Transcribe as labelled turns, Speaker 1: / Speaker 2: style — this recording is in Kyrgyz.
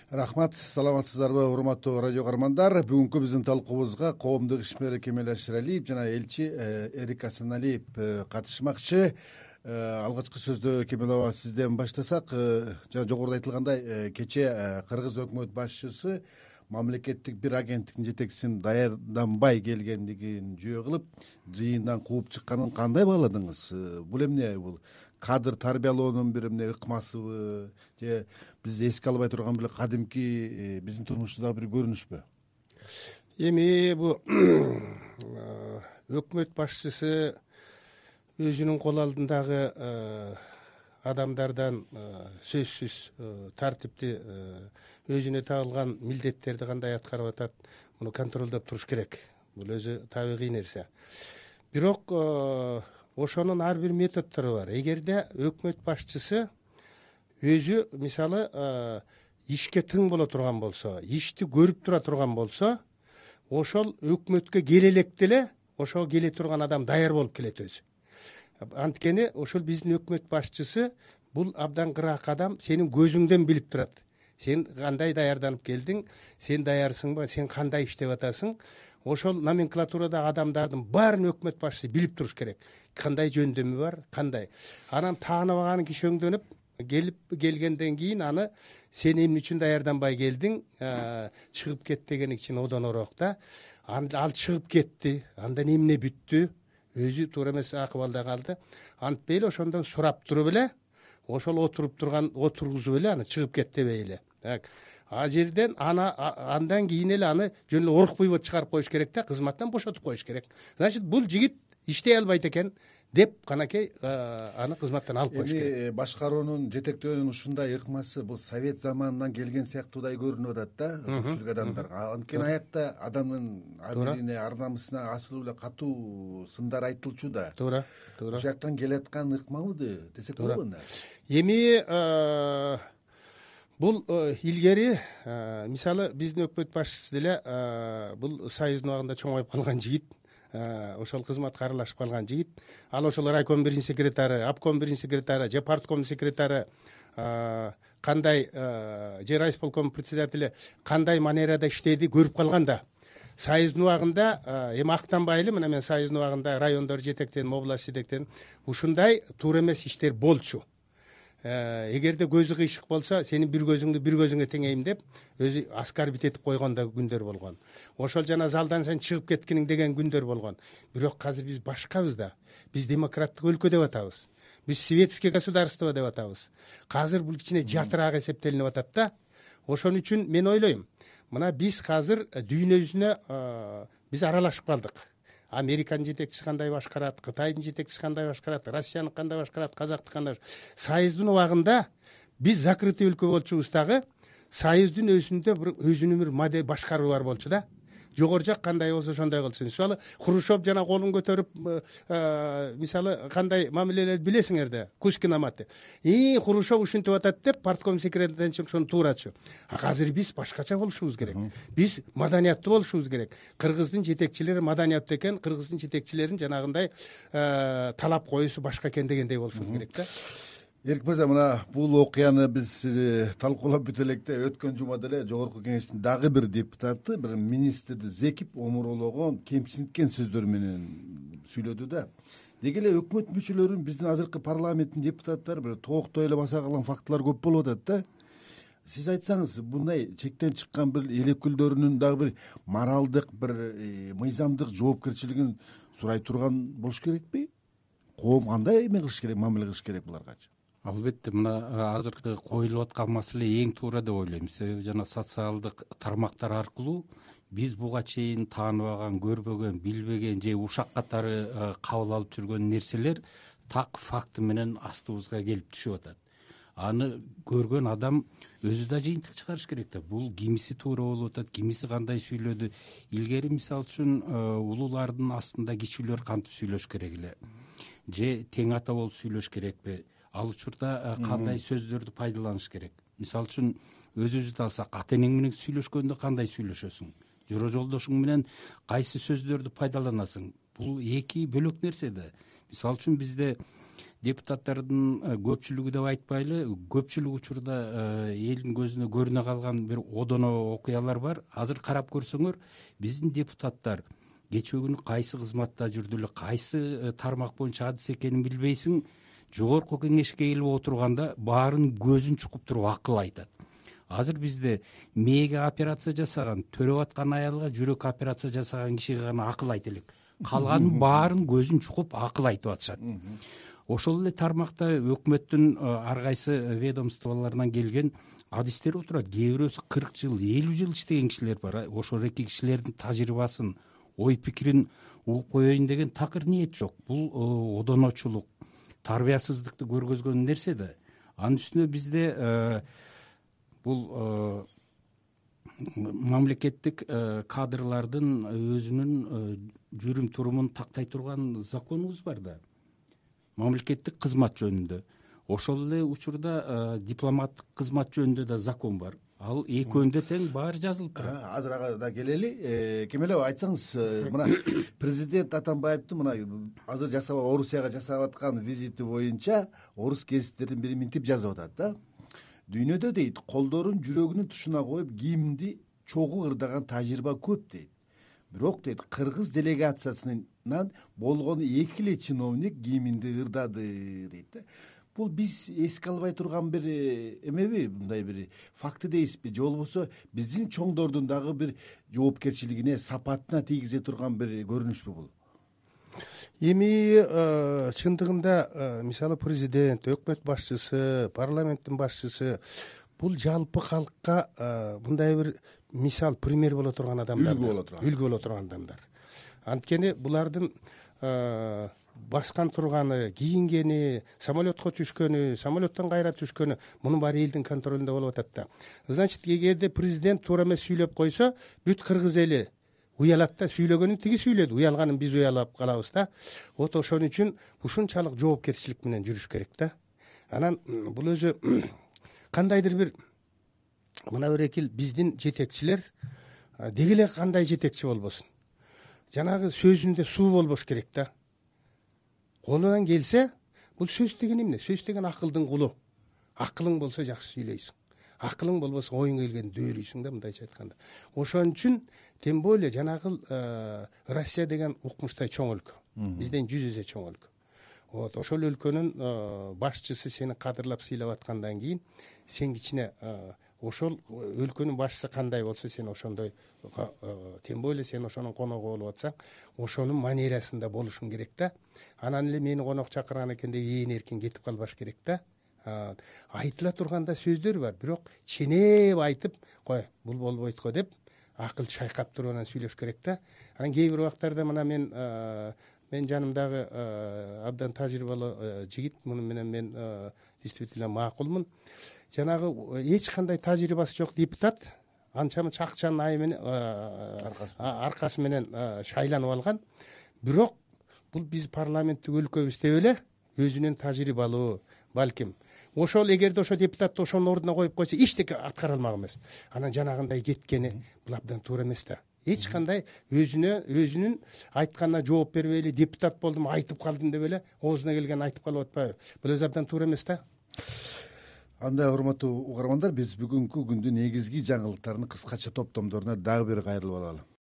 Speaker 1: Рахмат, саламатсыздарбы урматтуу радио каармандар. Бүгүнкү биздин талкуубузга коомдук ишмер Кемел Аширалиев жана элчи Эрик Асаналиев катышмакчы. Алгачкы сөздө Кемел аба сизден баштасак, жана жогоруда айтылгандай, кечээ кыргыз өкмөт башчысы мамлекеттик бир агенттиктин жетекчисин даярданбай келгендигин жөө кылып, жыйындан кууп чыкканын кандай бааладыңыз? Бул эмне, бул кадр тарбиялоонун бир эмне ыкмасыбы же биз эске албай турган бир кадимки биздин турмушубуздагы бир көрүнүшпү?
Speaker 2: Эми бул өкмөт башчысы өзүнүн кол алдындагы адамдардан сөзсүз тартипти өзүнө тагылган милдеттерди кандай аткарып атат, муну контролдоп туруш керек. Бул өзү табигый нерсе. Бирок ошонун ар бир методдору бар. Эгерде өкмөт башчысы өзү мисалы ишке тың боло турган болсо, ишти көрүп тура турган болсо, ошол өкмөткө келе электе эле ошого келе турган адам даяр болуп келет өзү. Анткени ошол биздин өкмөт башчысы бул абдан кыраак адам, сенин көзүңдөн билип турат. Сен кандай даярданып келдиң, сен даярсыңбы, сен кандай иштеп атасың. Ошол номенклатурадагы адамдардын баарын өкмөт башчысы билип туруш керек. Кандай жөндөмү бар, кандай. Анан тааныбаган киши өңдөнүп келгенден кийин аны сен эмне үчүн даярданбай келдиң, чыгып кет деген үчүн одонороок да. Ал чыгып кетти, андан эмне бүттү, өзү туура эмес акыбалда калды. Антпей эле ошондон сурап туруп эле, ошол отургузуп эле аны чыгып кет дебей эле. А жерден андан кийин эле аны жөн эле орукпуйбут чыгарып коюш керек да, кызматтан бошотуп коюш керек. Значит, бул жигит иштей албайт экен деп канакей аны кызматтан алып коюш керек.
Speaker 1: Эми башкаруунун, жетектөөнүн ушундай ыкмасы бул совет заманынан келген сыяктуудай көрүнүп атат да, көпчүлүк адамдарга. Анткени аякта адамдын абийирине, ар намысына асылуу эле катуу сындар айтылчу да.
Speaker 2: Туура.
Speaker 1: Ошол жактан келаткан ыкмабы десек болобу?
Speaker 2: Эми бул илгери мисалы биздин өкмөт башчысы деле бул союздун убагында чоңоюп калган жигит, ошол кызматка аралашып калган жигит. Ал ошол райком биринчи секретары, обком биринчи секретары же партком секретары кандай же райисполком председатели кандай манерада иштеди көрүп калган да. Союздун убагында эми актанбай эле, мына мен союздун убагында райондор жетектеним, область жетектеним. Ушундай туура эмес иштер болчу. Эгерде көзү кыйшык болсо, сенин бир көзүңдү бир көзүңө теңейм деп өзү аскарбит этип койгон да күндөр болгон. Ошол жана залдан сен чыгып кеткиниң деген күндөр болгон. Бирок азыр биз башкабыз да. Биз демократтык өлкө деп атабыз. Биз светский государство деп атабыз. Азыр бул кичине жатыраак эсептелинип атат да. Ошон үчүн мен ойлойм, мына биз азыр дүйнө жүзүнө биз аралашып калдык. Американын жетекчиси кандай башкарат, Кытайдын жетекчиси кандай башкарат, Россиянын кандай башкарат, Казактын кандай. Союздун убагында биз закрытый өлкө болчубуз дагы, союздун өзүндө бир өзүнүн бир модель башкаруу бар болчу да. Жогору жак кандай болсо ошондой кылсын. Мисалы Хрущев жана колун көтөрүп мисалы кандай мамилелерди билесиңерде, Кузькин Аматы. Хрущев ушинтип атат деп партком секретардан ошону туурачу. Азыр биз башкача болушубуз керек. Биз маданияттуу болушубуз керек. Кыргыздын жетекчилери маданияттуу экен, кыргыздын жетекчилерин жанагындай талап коюусу башка экен дегендей болушубуз керек да.
Speaker 1: Эрик мырза, мына бул окуяны биз талкуулап бүтө электе өткөн жумада эле жогорку кеңештин дагы бир депутаты бир министрди зекип, омурологон, кемсинткен сөздөр менен сүйлөдү да. Деги эле өкмөт мүчөлөрүн биздин азыркы парламенттин депутаттары бир тооктой эле баса калган фактылар көп болуп атат да. Сиз айтсаңыз, мындай чектен чыккан бир эл өкүлдөрүнүн дагы бир моралдык, бир мыйзамдык жоопкерчилигин сурай турган болуш керекпи? Коом кандай эме кылыш керек, мамиле кылыш керек буларгачы?
Speaker 3: Албетте, мына азыркы коюлуп аткан маселе эң туура деп ойлойм. Себеби жана социалдык тармактар аркылуу биз буга чейин тааныбаган, көрбөгөн, билбеген же ушак катары кабыл алып жүргөн нерселер так факты менен астыбызга келип түшүп атат. Аны көргөн адам өзү да жыйынтык чыгарыш керек да. Бул кимиси туура болуп атат, кимиси кандай сүйлөдү. Илгери мисалы үчүн улуулардын астында кичүүлөр кантип сүйлөш керек эле, же тең ата болуп сүйлөш керекпи? Ал учурда кандай сөздөрдү пайдаланыш керек? Мисалы үчүн өзүбүздү алсак, ата энең менен сүйлөшкөндө кандай сүйлөшөсүң? Жора жолдошуң менен кайсы сөздөрдү пайдаланасың? Бул эки бөлөк нерсе да. Мисалы үчүн бизде депутаттардын көпчүлүгү деп айтпайлы, көпчүлүк учурда элдин көзүнө көрүнө калган бир одоно окуялар бар. Азыр карап көрсөңөр, биздин депутаттар кечээ күнү кайсы кызматта жүрдү эле, кайсы тармак боюнча адис экенин билбейсиң, жогорку кеңешке келип отурганда баарын көзүн чукуп туруп акыл айтат. Азыр бизде мээге операция жасаган, төрөп аткан аялга жүрөк операция жасаган кишиге гана акыл айта элек. Калганын баарын көзүн чукуп акыл айтып атышат. Ошол эле тармакта өкмөттүн ар кайсы ведомстволорунан келген адистер отурат. Кээ бирөөсү 40 жыл, 50 жыл иштеген кишилер бар. Ошол эки кишилердин тажрыйбасын, ой пикирин угуп коеюн деген такыр ниет жок. Бул одоночулук, тарбиясыздыкты көргөзгөн нерсе да. Анын үстүнө бизде бул мамлекеттик кадрлардын өзүнүн жүрүм турумун тактай турган законубуз бар да, мамлекеттик кызмат жөнүндө. Ошол эле учурда дипломаттык кызмат жөнүндө да закон бар. Ал экөөндө тең баары жазылып турат.
Speaker 1: Азыр ага да келели. Кемеле айтсаңыз, мына президент Атамбаевдин мына азыр Орусияга жасап аткан визити боюнча орус гезиттердин бири минтип жазып атат да. Дүйнөдө дейт, колдорун жүрөгүнүн тушуна коюп кийимди чогуу ырдаган тажрыйба көп дейт. Бирок дейт, кыргыз делегациясынан болгон 2 эле чиновник кийиминди ырдады дейт да. Бул биз эске албай турган бир эмеби, мындай бир факты дейсизби, же болбосо биздин чоңдордун дагы бир жоопкерчилигине, сапатына тийгизе турган бир көрүнүшпү бул?
Speaker 2: Эми чындыгында мисалы президент, өкмөт башчысы, парламенттин башчысы бул жалпы калкка мындай бир мисал, пример боло турган адамдар, үлгү боло турган адамдар. Анткени булардын баскан турганы, кийингени, самолетко түшкөнү, самолеттон кайра түшкөнү, мунун баары элдин контролунда болуп атат да. Значит, эгерде президент туура эмес сүйлөп койсо, бүт кыргыз эли уялат да, сүйлөгөнүн тиги сүйлөдү, уялганын биз уялап калабыз да. Вот ошон үчүн ушунчалык жоопкерчилик менен жүрүш керек да. Анан бул өзү кандайдыр бир мына бир биздин жетекчилер деги эле кандай жетекчи болбосун, жанагы сөзүндө суу болбош керек да. Колунан келсе, бул сөз деген эмне? Сөз деген акылдын кулу. Акылың болсо жакшы сүйлөйсүң. Акылың болбосо оюңа келгенди дөөлөйсүң да, мындайча айтканда. Ошон үчүн тем более жанагы Россия деген укмуштай чоң өлкө. Бизден 100 эсе чоң өлкө. Вот ошол өлкөнүн башчысы сени кадырлап сыйлап аткандан кийин сен кичине ошол өлкөнүн башчысы кандай болсо сен ошондой, тем более сен ошонун коногу болуп атсаң, ошонун манерасында болушуң керек да. Анан эле мени конок чакырган экен деп ээн эркин кетип калбаш керек да. Айтыла турганда сөздөр бар, бирок ченеп айтып, кой, бул болбойт го деп акыл чайкап туруп анан сүйлөш керек да. Анан кээ бир убактарда мына мен жанымдагы абдан тажрыйбалуу жигит, муну менен мен действительно макулмун. Жанагы эч кандай тажрыйбасы жок депутат анча-мынча акчанын айы менен аркасы менен шайланып алган. Бирок бул биз парламенттик өлкөбүз деп эле өзүнүн тажрыйбалуу, балким ошол эгерде ошо депутатты ошонун ордуна коюп койсо эчтеке аткара алмак эмес. Анан жанагындай кеткени бул абдан туура эмес да. Эч кандай өзүнүн айтканына жооп бербей эле депутат болдум, айтып калдым деп эле оозуна келгенин айтып калып атпайбы? Бул өзү абдан туура эмес да.
Speaker 1: Андай, урматтуу угармандар, биз бүгүнкү күндүн негизги жаңылыктарынын кыскача топтомдоруна дагы бир кайрылып алалы.